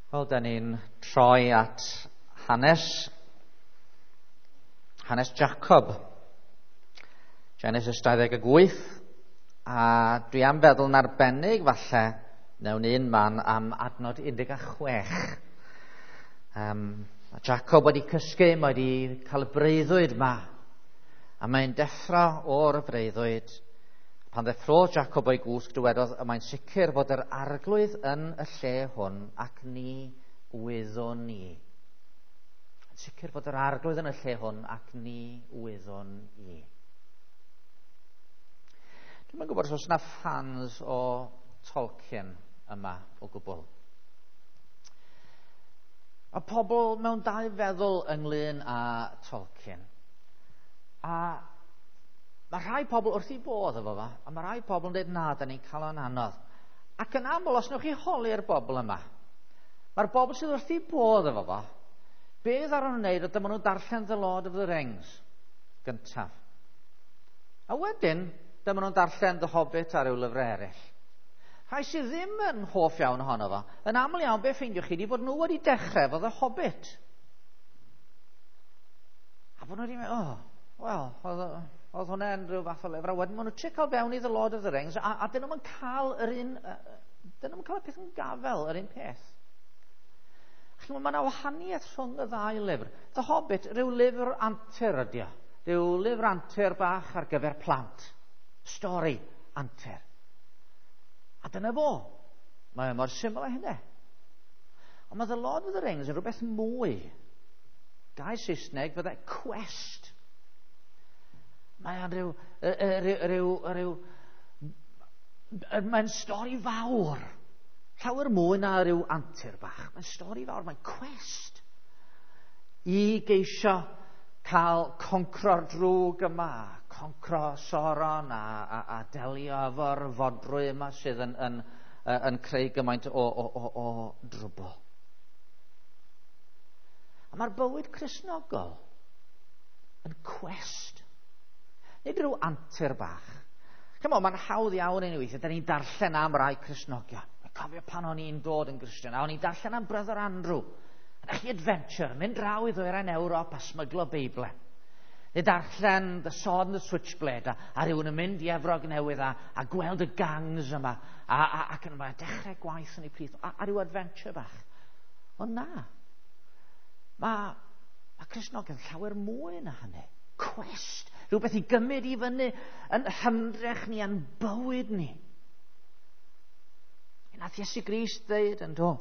Wel, da ni'n troi at hanes Jacob. Genesis 28, a dwi am feddwl yn arbennig falle mewn un man am adnod 16. Mae Jacob wedi cysgu, mae wedi cael y breuddwyd ma, a mae'n deffro o'r breuddwyd. Pan ddeffrodd Jacob o'i gwsg, dywedodd, y mae'n sicr fod yr arglwydd yn y lle hwn ac ni wyddwn ni. Yn sicr fod yr arglwydd yn y lle hwn ac ni wyddwn i. Dwi'm yn gwybod os oes yna fans o Tolkien yma o gwbl. Mae pobl mewn dau feddwl ynglyn â Tolkien. A mae rhai pobl wrth i bodd efo fo, a mae rhai pobl yn dweud na, da ni'n cael o'n anodd. Ac yn aml, os newch chi holi'r bobl yma, mae'r bobl sydd wrth i bodd efo fo, beth ar nhw'n wneud, dyma nhw'n darllen The Lord of the Rings gyntaf. A wedyn, dyma nhw'n darllen The Hobbit a ryw lyfrau eraill. Rhai sydd ddim yn hoff iawn ohono fo, yn aml iawn be ffeindiwch chi di bod nhw wedi dechrau efo The Hobbit. A bod nhw wedi meddwl, oh, wel, oedd hwnna'n rhyw fath o lyfr. A wedyn maen nhw'n trio cael fewn i The Lord of the Rings, a dyn nhw'n cael yr un, dyn nhw'n cael y peth yn gafel, yr un peth. Chi'n mae yna wahaniaeth rhwng y ddau lyfr. The Hobbit, rhyw lyfr antur ydi o. Rhyw lyfr antur bach ar gyfer plant. Stori antur. A dyna fo. Mae mor syml â hynny. Ond mae The Lord of the Rings yn rhywbeth mwy. Gair Saesneg fydde quest. Mae o'n rhyw, mae'n stori fawr. Llawer mwy na rhyw antur bach. Mae'n stori fawr, mae'n quest. I geisio cael concro'r drwg yma, concro Sauron a delio efo'r fodrwy yma sydd yn creu gymaint o drwbl. A mae'r bywyd Cristnogol yn quest. Nid rhyw antur bach. Chymod, mae'n hawdd iawn i ni weithio. Da ni'n darllen am rai Cristnogion. Dwi'n cofio pan o'n i'n dod yn Gristion, a o'n i'n darllen am Brother Andrew. A chi adventure, mynd draw i ddwyrain Ewrop a smyglo Beiblau. Neu darllen The Sword and the Switchblade, a rhywun yn mynd i Efrog Newydd a gweld y gangs yma, ac yn yma dechrau gwaith yn ei plith, a rhyw adventure bach. Ond na, mae Cristnogion llawer mwy na hynny. Quest, rhywbeth i gymryd i fyny yn hymdrech ni a'n bywyd ni. Nath Iesu Grist ddeud yn do,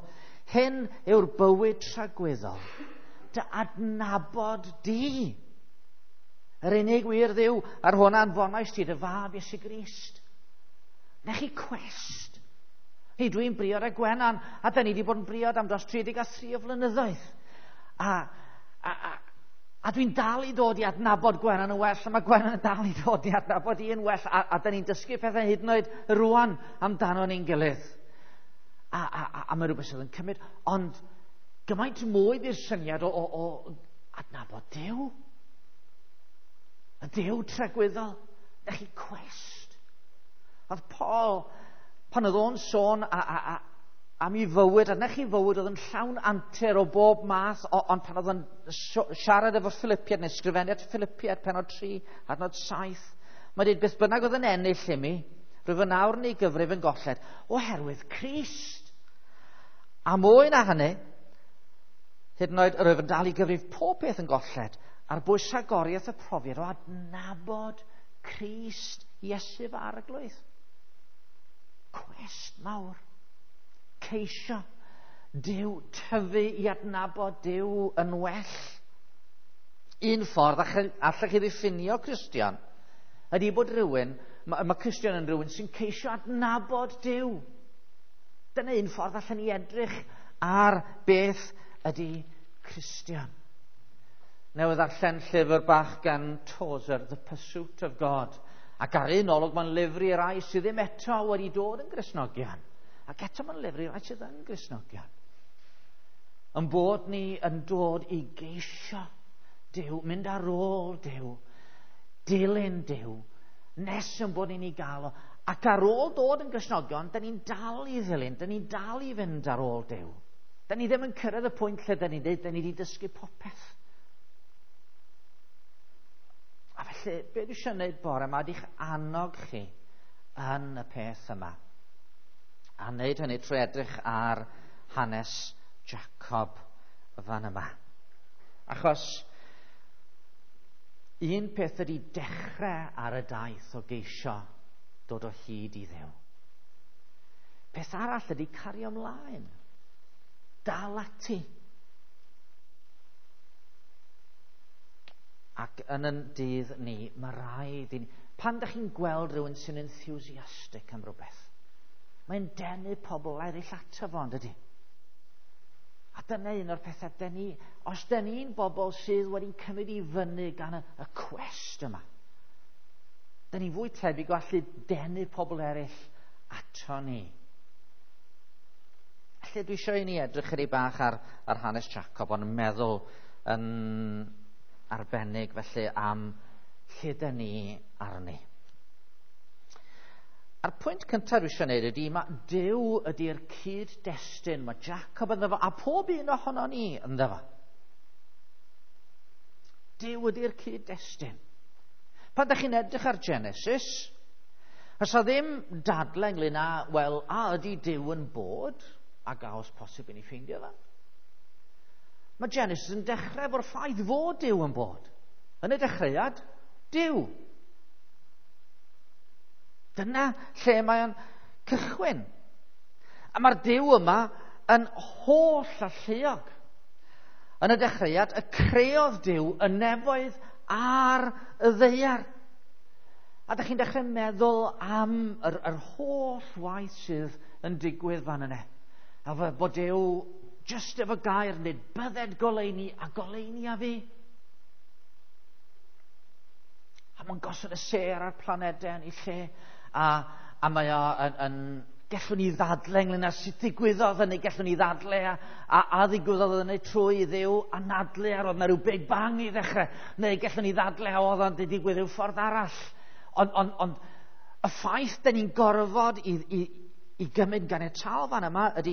hyn yw'r bywyd tragwyddol, dy adnabod di. Yr unig wir Dduw ar hwn anfonais ti dy fab Iesu Grist. Na chi quest. Hei, dwi'n briod â Gwenan, a da ni wedi bod yn briod am dros 33 o flynyddoedd. A dwi'n dal i ddod i adnabod Gwenan yn well, a mae Gwenan yn dal i ddod i adnabod i yn well, a da ni'n dysgu pethau hyd yn oed rwan amdano ni'n gilydd. A mae rhywbeth sydd yn cymryd, ond gymaint mwy di'r syniad o adnabod Duw. Y Duw tragwyddol. Na chi quest. Oedd Paul, pan oedd o'n sôn am ei fywyd, a na chi fywyd oedd yn llawn antur o bob math, ond pan oedd o'n siarad efo Philippiad, neu sgrifennu at Philippiad, penod 3, adnod 7, mae'n dweud, beth bynnag oedd yn ennill i mi, rwyf yn awr yn ei gyfrif yn golled, oherwydd Crist. A mwy na hynny, hyd yn oed rwyf yn dal i gyfrif pob peth yn golled, ar bwys rhagoriaeth y profiad o adnabod Crist Iesu fy Arglwydd. Cwest mawr. Ceisio Duw, tyfu i adnabod Duw yn well. Un ffordd allech chi ddiffinio Cristion ydy bod rhywun, mae Cristion yn rhywun sy'n ceisio adnabod Duw. Dyna un ffordd allan ni edrych ar beth ydy Cristion. Newydd ddarllen llyfr bach gan Tozer, The Pursuit of God. Ac ar un olwg mae'n lyfr i rai sydd ddim eto wedi dod yn Gristnogion. Ac eto mae'n lyfr i rai sydd yn Gristnogion. Yn bod ni yn dod i geisio Duw, mynd ar ôl Duw, dilyn Duw, nes yn bod ni'n ei gael o. Ac ar ôl dod yn Gristnogion, da ni'n dal i ddilyn, da ni'n dal i fynd ar ôl Duw. Da ni ddim yn cyrraedd y pwynt lle da ni'n dweud, da ni wedi dysgu popeth. A felly, be dwi eisiau gwneud bore yma ydy'ch annog chi yn y peth yma. A wneud hynny trwy edrych ar hanes Jacob fan yma. Achos un peth ydy dechrau ar y daith o geisio dod o hyd i Dduw. Peth arall ydy cario ymlaen. Dal ati. Ac yn yn dydd ni, mae rhaid i ni... Pan ydych chi'n gweld rhywun sy'n enthusiastic am rhywbeth, mae'n denu pobl eraill ato fo, yn dydy? A dyna un o'r pethau, dyn ni, os dyn ni'n bobl sydd wedi cymryd i fyny gan y cwest yma, dyn ni'n fwy tebyg o allu denu pobl eraill ato ni. Felly dwi eisiau i ni edrych chydig bach ar hanes Jacob, ond meddwl yn arbennig felly am lle dyn ni arni. A'r pwynt cyntaf dwi eisiau gwneud ydy, mae Duw ydy'r cyd-destun, mae Jacob ynddo fo, a pob un ohono ni ynddo fo. Duw ydy'r cyd-destun. Pan ydych chi'n edrych ar Genesis, oes 'na ddim dadle ynglyn â, wel, a ydy Duw yn bod, ac a oes posib i ni ffeindio fe? Mae Genesis yn dechrau efo'r ffaith fod Duw yn bod. Yn y dechreuad, Duw. Dyna lle mae o'n cychwyn. A mae'r Duw yma yn holl alluog. Yn y dechreuad, y creodd Duw y nefoedd a'r ddaear. A dych chi'n dechrau meddwl am yr holl waith sydd yn digwydd fan yna. A bod Duw jyst efo gair yn dweud, bydded goleuni a goleuni a fi. A mae'n gosod y sêr a'r planedau yn ei lle. A mae o yn gallwn ni ddadle ynglyn â sut ddigwyddodd hynny, gallwn ni ddadle a ddigwyddodd hynny trwy Dduw anadlu ar oedd na rhyw Big Bang i ddechrau, neu gallwn ni ddadle a oedd o'n digwydd rhyw ffordd arall. Ond y ffaith da ni'n gorfod i gymryd ganiataol fan yma ydy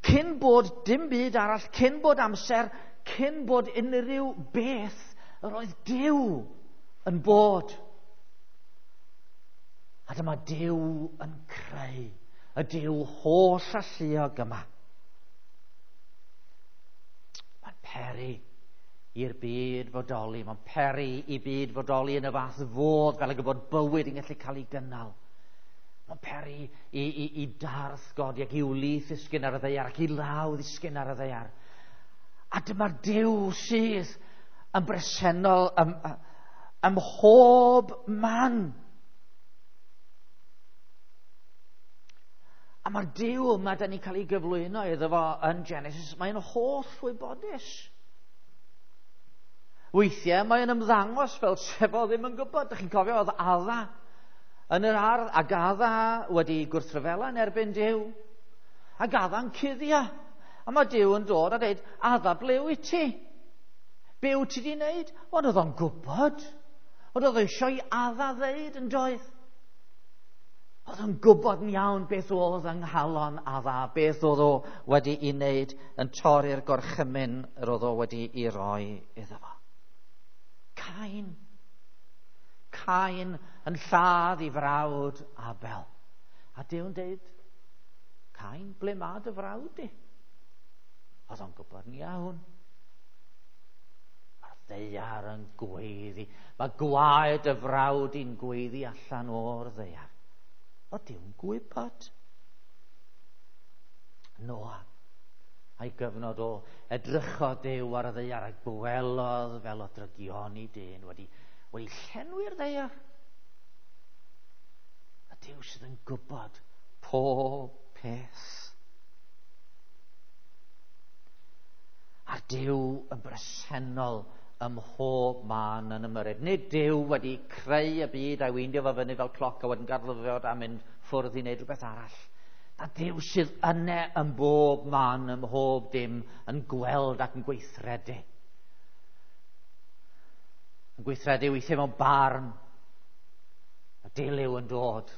cyn bod dim byd arall, cyn bod amser, cyn bod unrhyw beth, yr oedd Duw yn bod. A dyma Duw yn creu, y Duw holl alluog yma. Mae'n peri i'r byd fodoli, mae'n peri i byd fodoli yn y fath fodd fel y bod bywyd yn gallu cael ei gynnal. Mae'n peri i darth godi ac i wlith ddisgyn ar y ddaear ac i law ddisgyn ar y ddaear. A dyma'r Duw sydd yn bresennol ym mhob man. A mae'r Duw yma da ni'n cael ei gyflwyno iddo fo yn Genesis, mae'n holl wybodus. Weithiau mae'n ymddangos fel sef o ddim yn gwybod. Dych chi'n cofio oedd Adda yn yr ardd, ac Adda wedi gwrthryfela yn erbyn Duw. Ac Adda'n cuddio. A mae Duw yn dod a dweud, Adda, ble wyt ti? Be wyt ti wedi wneud? Ond oedd o'n gwybod. Ond oedd eisiau i Adda ddeud yn doedd. Oedd o'n gwybod yn iawn beth oedd yng nghalon Adda, beth oedd o wedi ei wneud yn torri'r gorchymyn yr oedd o wedi ei roi iddo fo. Cain. Cain yn lladd i frawd Abel. A Duw'n deud, Cain, ble mae dy frawd di? Oedd o'n gwybod yn iawn. Mae'r ddaear yn gweiddi. Mae gwaed y frawd i'n gweiddi allan o'r ddaear. Oedd Duw'n gwybod. Noa, a'i gyfnod o edrychodd Duw ar y ddaear a gwelodd fel o drygioni dyn wedi llenwi'r ddaear. A Duw sydd yn gwybod pob peth. A'r Duw yn bresennol ym mhob man yn ymyrryd. Nid Duw wedi creu y byd a'i weindio fo fyny fel cloc a wedyn gadael fo a mynd ffwrdd i wneud rhywbeth arall. A Duw sydd yne ym mhob man, ym mhob dim, yn gweld ac yn gweithredu. Yn gweithredu weithiau mewn barn. A dilyw yn dod.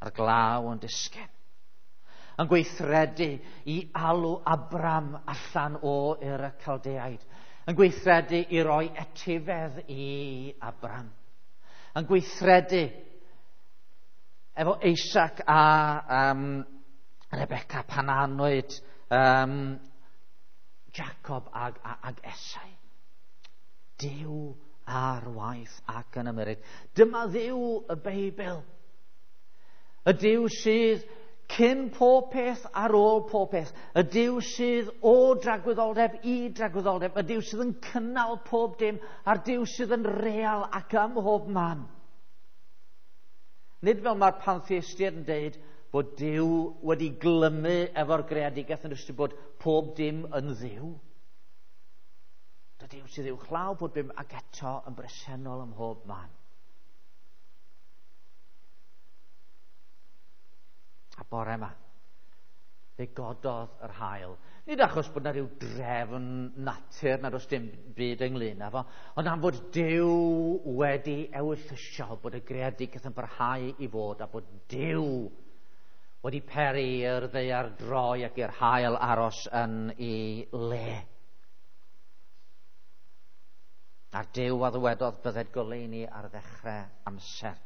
A'r glaw yn disgyn. Yn gweithredu i alw Abram allan o Ur y Caldeaid. Yn gweithredu i roi etifedd i Abram. Yn gweithredu efo Isaac a Rebecca pan anwyd Jacob ag Esau. Duw ar waith ac yn ymyrryd. Dyma Dduw y Beibl. Y Duw sydd cyn pob peth, ar ôl pob peth. Y Duw sydd o dragwyddoldeb i dragwyddoldeb. Y Duw sydd yn cynnal pob dim, a'r Duw sydd yn real ac ym mhob man. Nid fel mae'r pantheistiaid yn deud bod Duw wedi glymu efo'r greadigaeth yn ystod bod pob dim yn Dduw. Dy Duw sydd uwchlaw pob dim ac eto yn bresennol ym mhob man. A bore yma, fe gododd yr haul. Nid achos bod yna rhyw drefn natur nad oes dim byd ynglyn â fo, ond am fod Duw wedi ewyllysio bod y greadigaeth yn parhau i fod a bod Duw wedi peri i'r ddaear droi ac i'r haul aros yn ei le. A'r Duw a ddywedodd bydded goleuni ar ddechrau amser.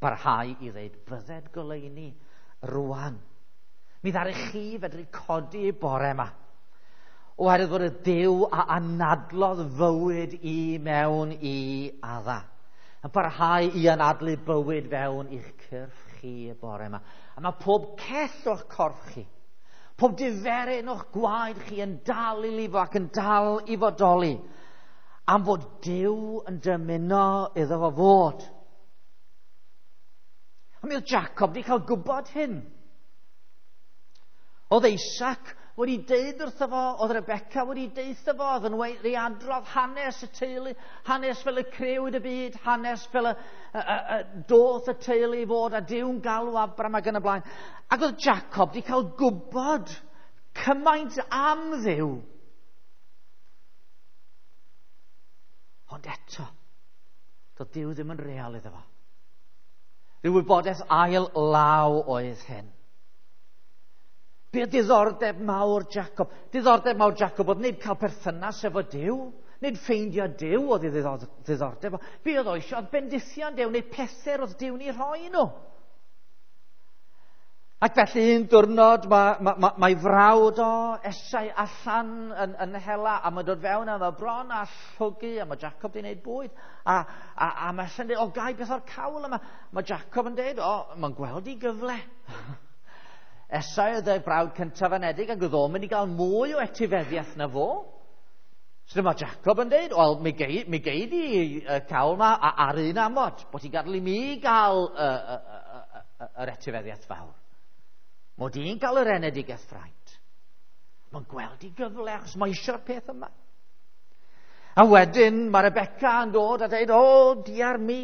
Barhau i ddeud bydded goleuni rwan. Mi ddaru chi fedru codi bore yma. Oherwydd bod y Duw a anadlodd fywyd i mewn i Adda. Yn parhau i anadlu bywyd fewn i'ch cyrff chi y bore yma. A mae pob cell o'ch corff chi, pob diferyn o'ch gwaed chi yn dal i lifo ac yn dal i fodoli. Am fod Duw yn dymuno iddo fo fod. A mi oedd Jacob wedi cael gwybod hyn. Oedd Isaac wedi deud wrtho fo, oedd Rebecca wedi deutho fo, oedd yn wedi adrodd hanes y teulu, hanes fel y crewyd y byd, hanes fel y doth y teulu i fod a Duw'n galw Abram ac yn y blaen. Ac oedd Jacob wedi cael gwybod cymaint am Dduw. Ond eto, doedd Duw ddim yn real iddo fo. Rhyw wybodaeth ail law oedd hyn. Be oedd diddordeb mawr Jacob? Diddordeb mawr Jacob oedd nid cael perthynas efo Duw, nid ffeindio Duw oedd ei ddiddordeb. Be oedd o eisiau oedd bendithion Duw neu pethau oedd Duw'n ei rhoi nhw. Ac felly un diwrnod mae frawd o Esau allan yn hela a mae'n dod fewn a mae bron a llwgu a mae Jacob wedi gwneud bwyd a mae Esau'n dweud, o gai beth o'r cawl yma. Mae Jacob yn dweud, o, mae'n gweld i gyfle. Esau oedd y brawd cyntaf anedig ac oedd o'n mynd i gael mwy o etifeddiaeth na fo. So dyma Jacob yn dweud, wel, mi gei di y cawl yma ar un amod, bod ti'n gadael i mi gael yr etifeddiaeth fawr. Mod i'n cael yr enedigaeth fraint. Mae'n gweld i gyfle achos mae eisiau'r peth yma. A wedyn mae Rebecca yn dod a dweud, o, diar mi,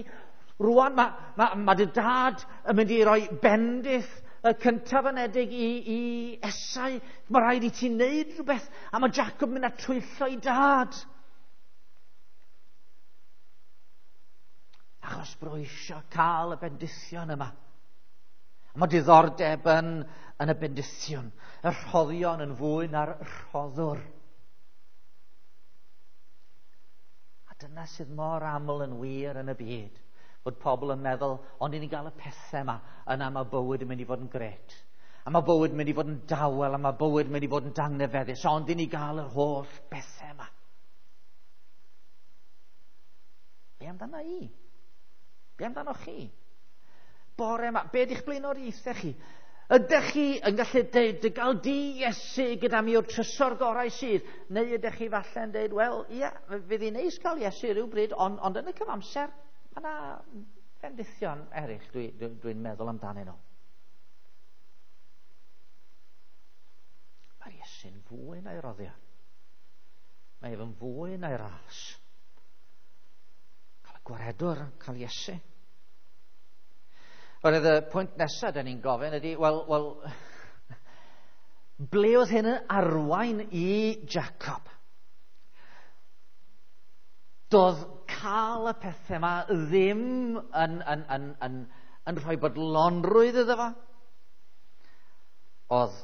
rwan mae dy dad yn mynd i roi bendith y cyntaf anedig i Esau. Mae rhaid i ti wneud rhywbeth. A mae Jacob yn mynd a twyllo i dad. Achos bod eisiau cael y bendithion yma. Mae diddordeb yn y bendithion, y rhoddion yn fwy na'r rhoddwr. A dyna sydd mor aml yn wir yn y byd, bod pobl yn meddwl, ond i ni gael y pethau yma, yna mae bywyd yn mynd i fod yn gret. A mae bywyd yn mynd i fod yn dawel, a mae bywyd yn mynd i fod yn dangnefeddus, ond i ni gael yr holl bethau yma. Be amdano i? Be amdano chi? Bore yma, be ydych blaenoriaethau chi? Ydych chi yn gallu deud, dy gael di Iesu gyda mi o'r trysor gorau sydd? Neu ydych chi falle yn deud, wel, ia, fydd hi'n neis cael Iesu rhywbryd, ond yn y cyfamser, mae yna bendithion eraill dwi'n meddwl amdanyn nhw. Mae'r Iesu'n fwy na'i roddion. Mae ef yn fwy na'i ras. Cael y gwaredwr, cael Iesu. Oherwydd y pwynt nesaf da ni'n gofyn ydy, wel, ble oedd hyn yn arwain i Jacob? Doedd cael y pethau yma ddim yn rhoi bodlonrwydd iddo fo. Oedd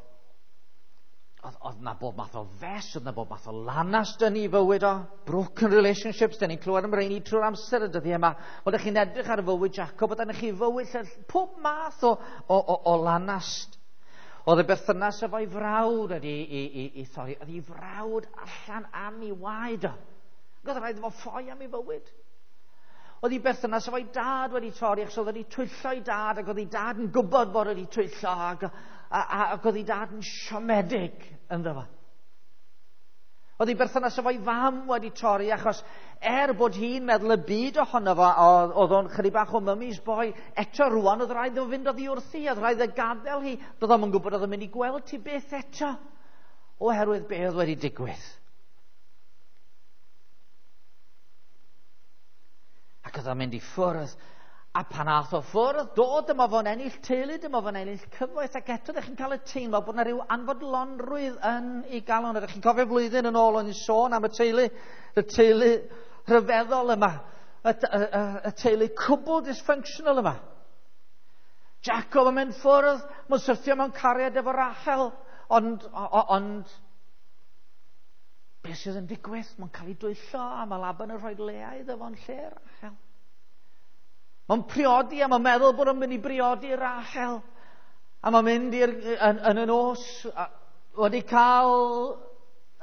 na bob math o fes, oedd na bob math o lanast yn ei fywyd o. Broken relationships, dyn ni'n clywed am rheini trwy'r amser y dyddiau yma. Wel, ydych chi'n edrych ar fywyd Jacob, oedd chi fywyd lle pob math o lanast. Oedd y berthynas efo'i frawd wedi i thorri. Oedd ei frawd allan am ei waed o. Oedd rhaid iddo fo ffoi am ei fywyd. Oedd ei berthynas efo'i dad wedi torri, achos oedd wedi twyllo ei dad, ac oedd ei dad yn gwybod bod wedi twyllo, ac oedd ei dad yn siomedig ynddo fo. Oedd ei berthynas efo'i fam wedi torri, achos bod hi'n meddwl y byd ohono fo, oedd o'n chydig bach o mummy's boy, eto rwan oedd rhaid iddo fynd oddi wrthi, oedd rhaid iddo gadael hi, doedd o'm yn gwybod oedd o'n mynd i gweld ti byth eto, oherwydd be oedd wedi digwydd. Ac oedd o'n mynd i ffwrdd, a pan ath o ffwrdd, dod dyma fo'n ennill teulu, dyma fo'n ennill cyfoeth, ac eto ddech chi'n cael y teimlo bod yna rhyw anfodlonrwydd yn ei galon. Ydych chi'n cofio flwyddyn yn ôl o'n i'n sôn am y teulu rhyfeddol yma, y teulu cwbl dysfunctional yma. Jacob yn mynd ffwrdd, mae'n syrthio mewn cariad efo Rachel, ond beth sydd yn digwydd? Mae'n cael ei dwyllo, a mae Laban yn rhoi Lea iddo fo'n lle Rachel. Mae'n priodi, a mae'n meddwl bod o'n mynd i briodi Rachel. A mae'n mynd yn y nos, wedi cael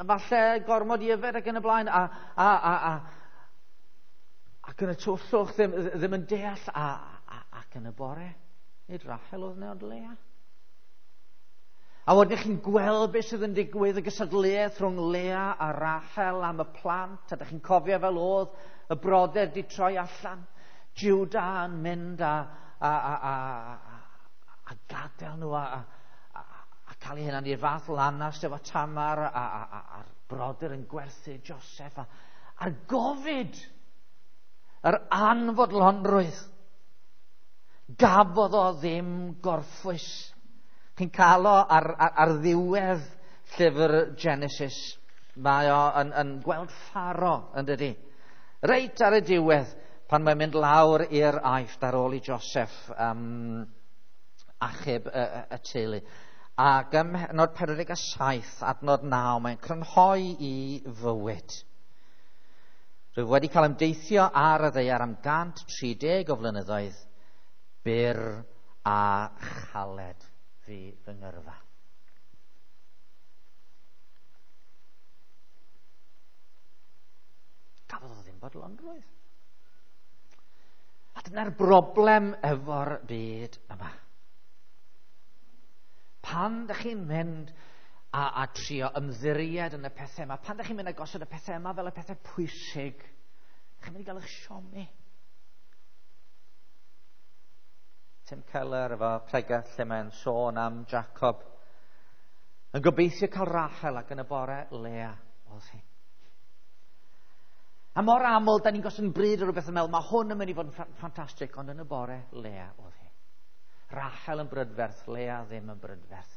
falle gormod i yfed ac yn y blaen, ac yn y twllwch ddim yn deall, ac yn y bore, nid Rachel oedd yna ond Lea. A wedyn chi'n gweld beth sydd yn digwydd, y gystadleuaeth rhwng Lea a Rachel am y plant, a dych chi'n cofio fel oedd y brodyr di troi allan, Judah yn mynd a gadael nhw a cael ei hunan i'r fath lanast efo Tamar a'r brodyr yn gwerthu Joseph a'r gofid, yr anfodlonrwydd. Gafodd o ddim gorffwys. Chi'n cael o ar ddiwedd llyfr Genesis. Mae o yn gweld Pharo, yn dydi? Reit ar y diwedd, pan mae'n mynd lawr i'r Aifft ar ôl i Joseph achub y teulu. Ac ym mhennod 47, adnod 9, mae'n crynhoi i fywyd. Rwyf wedi cael ymdeithio ar y ddaear am 130 o flynyddoedd, byr a chaled fi fy ngyrfa. Gafodd o ddim bodlonrwydd. A dyna'r broblem efo'r byd yma. Pan ydych chi'n mynd a trio ymddiried yn y pethau yma, pan ydych chi'n mynd a gosod y pethau yma fel y pethau pwysig, ydych chi'n mynd i gael eich siomi. Tim Keller efo pregeth lle mae'n sôn am Jacob yn gobeithio cael Rachel ac yn y bore Lea oedd hi. A mor aml, da ni'n gosod yn bryd o rhywbeth yn meddwl, mae hwn yn mynd i fod yn ffantastig, ond yn y bore Lea oedd hi. Rachel yn brydferth, Lea ddim yn brydferth.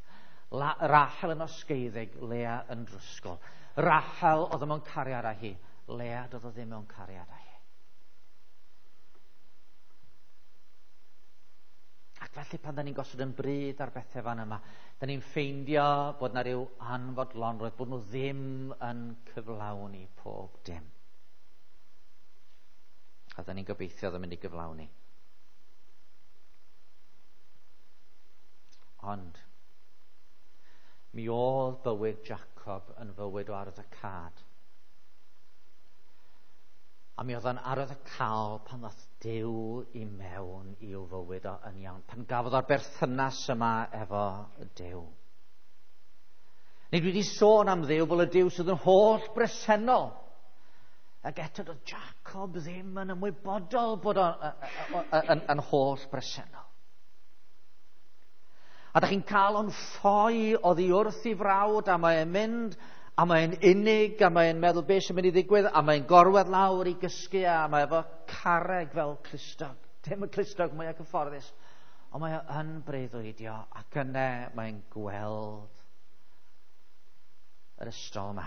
Rachel yn osgeiddig, Lea yn drysgol. Rachel oedd mewn cariad â hi, Lea doedd o ddim mewn cariad â hi. Ac felly pan da ni'n gosod yn bryd ar bethau fan yma, da ni'n ffeindio bod na ryw anfodlonrwydd, bod nhw ddim yn cyflawni pob dim. A da ni'n gobeithio oedd yn mynd i gyflawni. Ond mi oedd bywyd Jacob yn fywyd o arwyddocâd. A mi oedd o'n arwyddocaol pan ddath Duw i mewn i'w fywyd o yn iawn, pan gafodd o'r berthynas yma efo Duw. Nid wedi sôn am Dduw fel y Duw sydd yn holl bresennol. Ac eto doedd Jacob ddim yn ymwybodol bod o'n yn holl bresennol. A da chi'n cael o'n ffoi oddi wrth i frawd, a mae'n mynd, a mae'n unig, a mae'n meddwl beth sy'n mynd i ddigwydd, a mae'n gorwedd lawr i gysgu, a mae efo carreg fel clustog. Dim y clustog mwyaf cyfforddus, ond mae o yn breuddwydio, ac yna mae'n gweld yr ystol yma.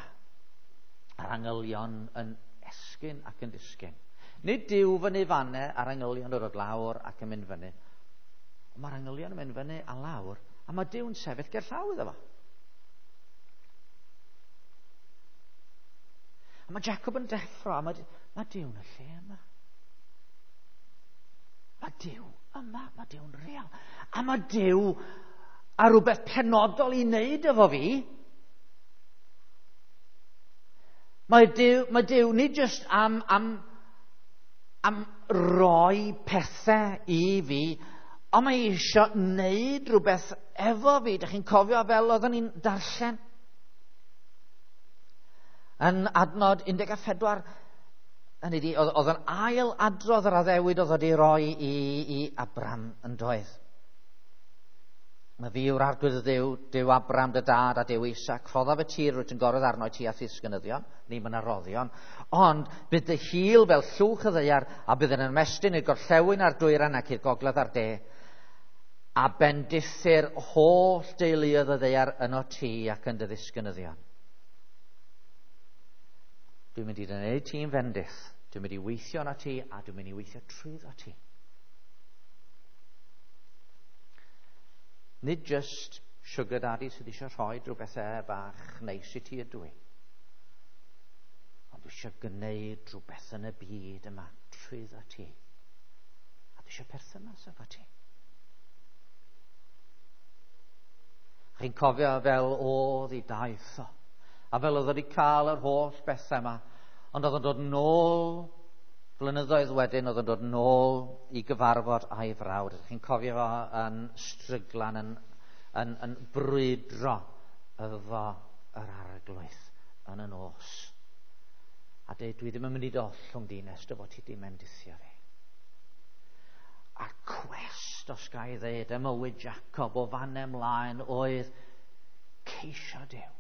A'r angylion yn esgyn ac yn disgyn. Nid Duw fyny fanne a'r angylion yn dod lawr ac yn mynd fyny. Ond mae'r angylion yn mynd fyny a lawr A mae Duw'n sefyll ger llaw iddo fo. A mae Jacob yn deffro, a mae Duw'n y lle yma. Mae Duw yma, mae Duw'n real. A mae Duw a rhywbeth penodol i wneud efo fi. Mae Duw nid jyst am roi pethau i fi, ond mae eisiau wneud rhywbeth efo fi. Dych chi'n cofio fel oeddwn ni'n darllen? Yn adnod 14, hynny ydi, oedd yn ail adrodd yr addewid oedd wedi roi i Abram yn doedd. Mae fi yw'r arglwydd y Dduw, Duw Abram dy dad a Duw Isaac, rhoddaf y tir rwyt yn gorwedd arno i ti a ddisgynyddion, ni mae yna roddion, ond bydd dy hil fel llwch y ddaear a bydd yn ymestyn i'r gorllewin a'r dwyrain ac i'r gogledd a'r de, a bendithir holl deuluoedd y ddaear yno ti ac yn dy ddisgynyddion. Dwi'n mynd i wneud ti'n fendith, dwi'n mynd i weithio yno ti a dwi'n mynd i weithio trwyddo ti. Nid just sugar daddy sydd eisiau rhoi rhywbeth bach neis i ti ydw i. Ond dwi eisiau gwneud rhywbeth yn y byd yma trwyddo ti. A dwi eisiau perthynas efo ti. Chi'n cofio fel oedd i daith o. A fel oedd wedi cael yr holl bethau yma. Ond oedd yn dod nôl, blynyddoedd wedyn, oedd yn dod nôl i gyfarfod a'i frawd. Ydych chi'n cofio fo yn stryglan, yn brwydro efo yr arglwydd yn y nos. A dweud, dwi ddim yn mynd i dollwng di nes dy fod ti di mendithio fi. A'r cwest, os ga i ddeud, ym mywyd Jacob o fan ymlaen oedd ceisio Duw.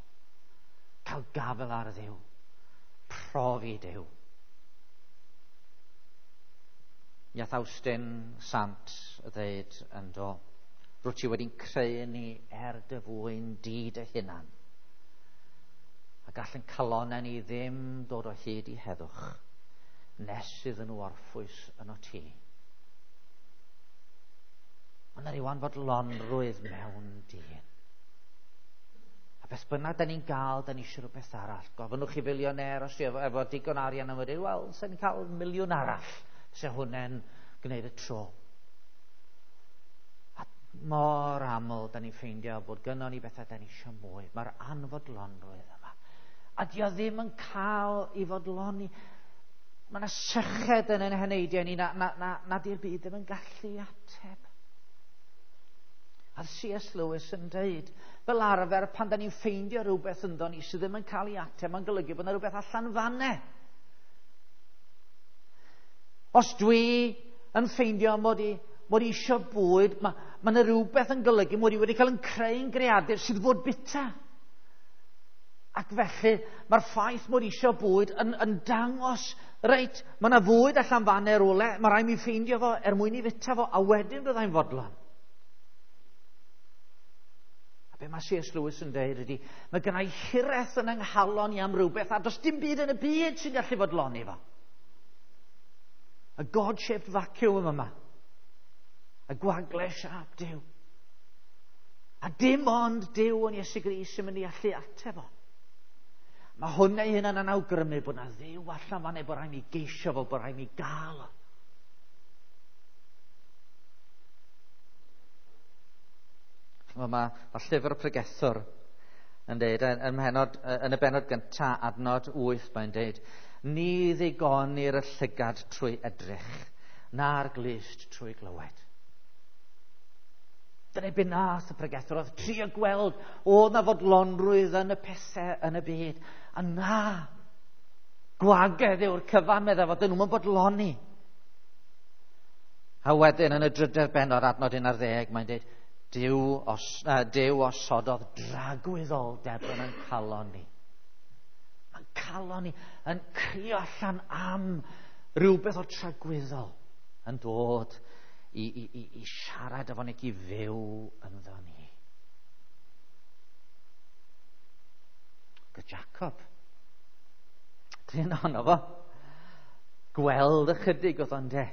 Cael gafel ar Dduw. Profi Duw. Iath Awstin Sant ddeud yn do, rwyt ti wedi'n creu ni er dy fwyn di dy hunan. A gall yn calonnau ni ddim dod o hyd i heddwch nes iddyn nhw orffwys yno ti. Mae yna ryw anfodlonrwydd mewn dyn. A beth bynnag da ni'n gael, da ni eisiau rhywbeth arall. Gofynnwch i filionaire os efo digon arian am wedi, wel, sa'n ni'n cael miliwn arall. Se hwnna'n gwneud y tro. A mor aml da ni'n ffeindio bod gynnon ni bethau da ni eisiau mwy. Mae'r anfodlonrwydd yma. A dio ddim yn cael ei fodloni. Mae yna syched yn ein heneidiau ni na di'r byd ddim yn gallu ateb. A C.S. Lewis yn dweud, fel arfer pan da ni'n ffeindio rhywbeth ynddo ni sydd ddim yn cael ei ateb, mae'n golygu bod yna rhywbeth allan fanne. Os dwi yn ffeindio mod i eisiau bwyd, mae yna rhywbeth yn golygu mod i wedi cael yn creu'n greadur sydd fod bita. Ac felly mae'r ffaith mod i eisiau bwyd yn dangos, reit, mae yna fwyd allan fan ar rywle, mae rhaid mi ffeindio fo er mwyn i fita fo, a wedyn byddai'n fodlon. A be mae C.S. Lewis yn dweud ydy, mae gynna i hiraeth yn yng nghalon i am rhywbeth, a does dim byd yn y byd sy'n gallu fodloni fo. Y God-shaped vacuum yma. Y gwagle siâp Duw. A dim ond Duw yn Iesu Grist sy'n mynd i allu ateb o. Mae hwnna ei hunan yn awgrymu bod na Dduw allan fan bod rhaid mi geisio fo, bod rhaid mi gael o. Mae llyfr y pregethwr yn dweud, yn y bennod gyntaf, adnod 8, mae'n dweud, ni ddigonir y llygad trwy edrych, na'r glust trwy glywed. Dyna be nath y pregethwr, oedd trio gweld oedd na fodlonrwydd yn y pethau yn y byd. A na, gwagedd yw'r cyfan, meddai fod nhw'n bodloni. A wedyn yn y drydedd bennod, adnod 11, mae'n dweud, Duw osododd dragwyddoldeb yn ein calon ni. Mae'n calon ni yn crio allan am rhywbeth o tragwyddol yn dod i siarad efo ni, i fyw ynddo ni. Gyda Jacob, dyn ohono fo, gweld ychydig oedd o'n de.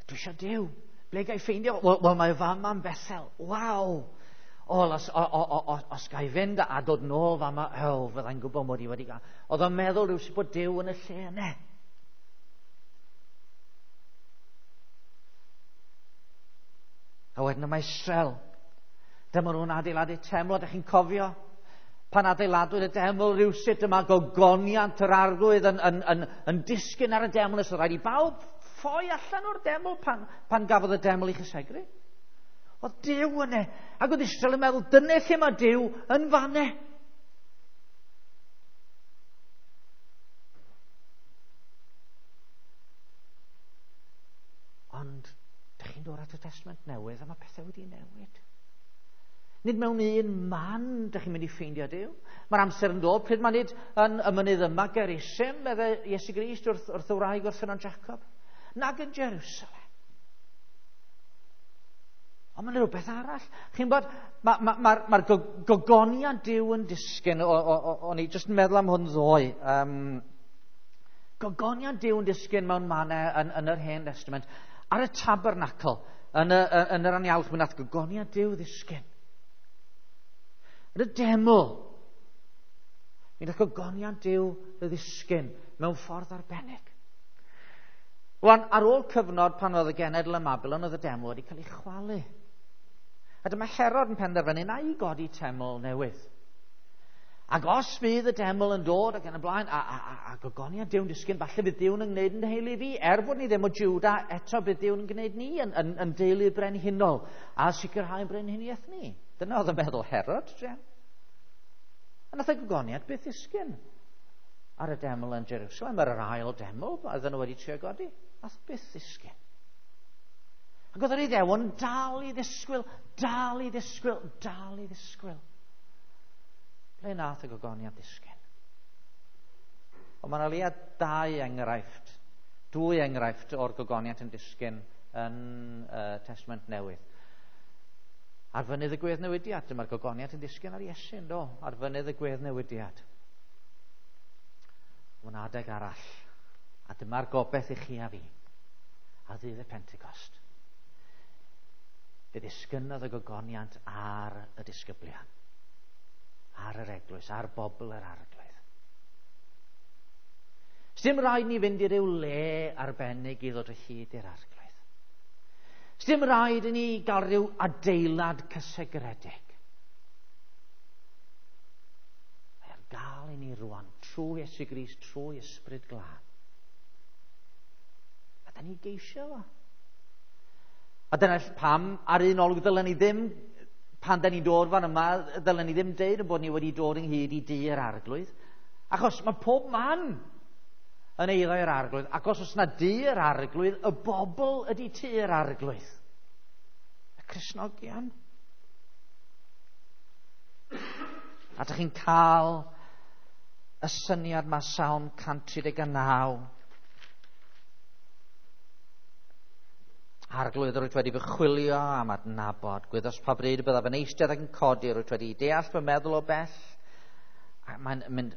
Dwi eisiau Duw. Ble ga i ffeindio? Wel, mae fama yn Bethel. Waw! O, os ga i fynd a dod nôl fama, o, fyddai'n gwybod mod i wedi gael. Oedd o'n meddwl rhywsut bod Duw yn y lle yna. A wedyn yma Israel. Dyma nhw'n adeiladu teml, ydych chi'n cofio? Pan adeiladwyd y deml rhywsut yma gogoniant yr arglwydd yn disgyn ar y deml, nes oedd rhaid i bawb ffoi allan o'r deml pan gafodd y deml ei chysegru. Oedd Duw yna. Ac oedd Israel yn meddwl, dyna lle mae Duw yn fanne. Ond, dych chi'n dod at y Testament Newydd a mae pethau wedi newid. Nid mewn un man dych chi'n mynd i ffeindio Duw. Mae'r amser yn dod pryd mae nid yn y mynydd yma Gerizim, meddai Iesu Grist wrth y wraig wrth ffynnon Jacob, nag yn Jerusalem. Ond mae'n rhywbeth arall. Chi'n bod, mae'r gogoniant Duw yn disgyn, o'n i jyst yn meddwl am hwn ddoe. Gogoniant Duw yn disgyn mewn mannau yn yr Hen Testament. Ar y tabernacl, yn yr anialwch, mi nath gogoniant Duw ddisgyn. Yn y deml, mi nath gogoniant Duw ddisgyn mewn ffordd arbennig. Rwan, ar ôl cyfnod pan oedd y genedl ym Mabilon, oedd y deml wedi cael ei chwalu. A dyma Herod yn penderfynu na i godi teml newydd. Ac os fydd y deml yn dod ac yn y blaen, a gogoniant Duw'n disgyn, falle bydd Duw'n yn gwneud yn teulu fi. Er bod ni ddim o Juda, eto bydd Duw'n yn gwneud ni yn deulu brenhinol a sicrhau brenhiniaeth ni. Dyna oedd yn meddwl Herod, druan. A nath y gogoniant byth ddisgyn ar y deml yn Jerusalem, ar yr ail deml, oedden nhw wedi trio godi. Nath byth ddisgyn. Ac oedd yr Iddewon dal i ddisgwyl, dal i ddisgwyl, dal i ddisgwyl. Ble nath y gogoniant ddisgyn? Ond mae'n leia dwy enghraifft o'r gogoniant yn disgyn yn Testament Newydd. Ar fynydd y gweddnewidiad, dyma'r gogoniant yn disgyn ar Iesu, yndo? Ar fynydd y gweddnewidiad. Mae'n adeg arall, a dyma'r gobaith i chi a fi, ar ddydd y Pentecost. Fe ddisgynnodd y gogoniant ar y disgyblion, ar yr eglwys, ar bobl yr arglwydd. Sdim rhaid ni fynd i ryw le arbennig i ddod o hyd i'r arglwydd. Sdim rhaid i ni gael rhyw adeilad cysegredig. Mae ar gael i ni rwan, trwy Iesu Grist, trwy Ysbryd Glân. A da ni geisio fo. A dyna pam, ar un olwg, ddylen ni ddim, pan da ni'n dod fan yma, ddylen ni ddim deud yn bod ni wedi dod ynghyd i dŷ yr arglwydd. Achos mae pob man yn eiddo i'r arglwydd. Ac os oes na dŷ yr arglwydd, y bobl ydy tŷ yr arglwydd. Y Cristnogion. A dych chi'n cael y syniad mae Salm 139. Arglwydd, rwyt wedi fy chwilio am adnabod. Gwyddos pa bryd y byddaf yn eistedd ac yn codi, rwyt wedi deall fy meddwl o bell. A mae'n mynd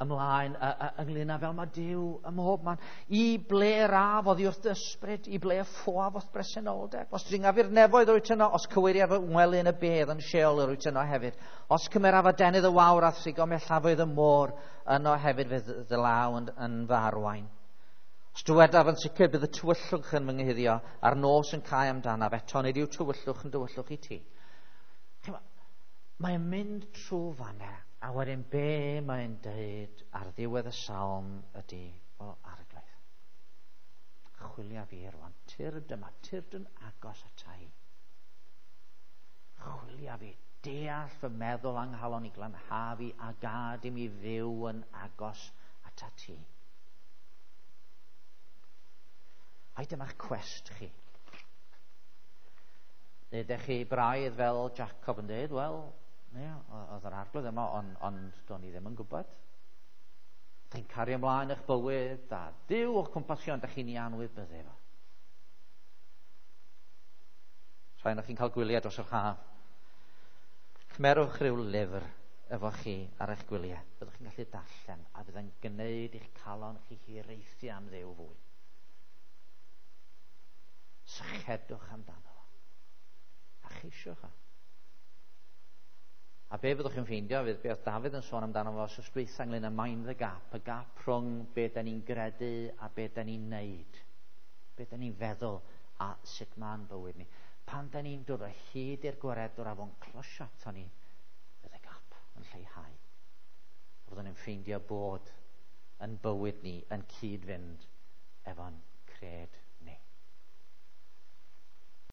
ymlaen ynglyn â fel mae Duw ym mhob man. I ble yr af oddi wrth dy ysbryd, i ble y ffoaf o'th bresenoldeb. Os dringaf i'r nefoedd rwyt yno, os cyweiriaf fy ngwely yn y bedd yn Sheol rwyt yno hefyd. Os cymeraf adenydd y wawr a thrigo mellafoedd y môr yno hefyd fydd dy law yn fy arwain. Os dywedaf yn sicr bydd y tywyllwch yn fy nghuddio a'r nos yn cau amdanaf, eto nid yw tywyllwch yn dywyllwch i ti. Mae'n mynd trwy fanna, a wedyn be mae'n dweud ar ddiwedd y salm ydy, o arglwydd, chwilia fi rwan, tyrd yma, tyrd yn agos ata i. Chwilia fi, deall fy meddwl anghalon i glanha fi a gad i mi fyw yn agos ata ti. Ai dyma'ch cwest chi. Neu ydych chi braidd fel Jacob yn dweud, wel, ie, oedd yr arglwydd yma, ond do'n i ddim yn gwybod. Chi'n cario ymlaen eich bywyd, a Duw o'ch cwmpas chi, ond ydych chi'n ei anwybyddu fo. Rhai ohonoch chi'n cael gwyliau dros yr haf. Cymerwch rhyw lyfr efo chi ar eich gwyliau. Byddwch chi'n gallu darllen, a bydd yn gwneud eich calon chi hiraethu am Dduw fwy. Sychedwch amdano fo. A cheisiwch o. A be fyddwch chi'n ffeindio fydd be oedd Dafydd yn sôn amdano fo wsos dwytha ynglyn â mind the gap, y gap rhwng be da ni'n gredu a be da ni'n neud. Be da ni'n feddwl a sut ma'n bywyd ni. Pan da ni'n dod o hyd i'r gwaredwr a fo'n closio ato ni, fydd y gap yn lleihau. A fyddwn ni'n ffeindio bod yn bywyd ni yn cyd-fynd efo'n cred.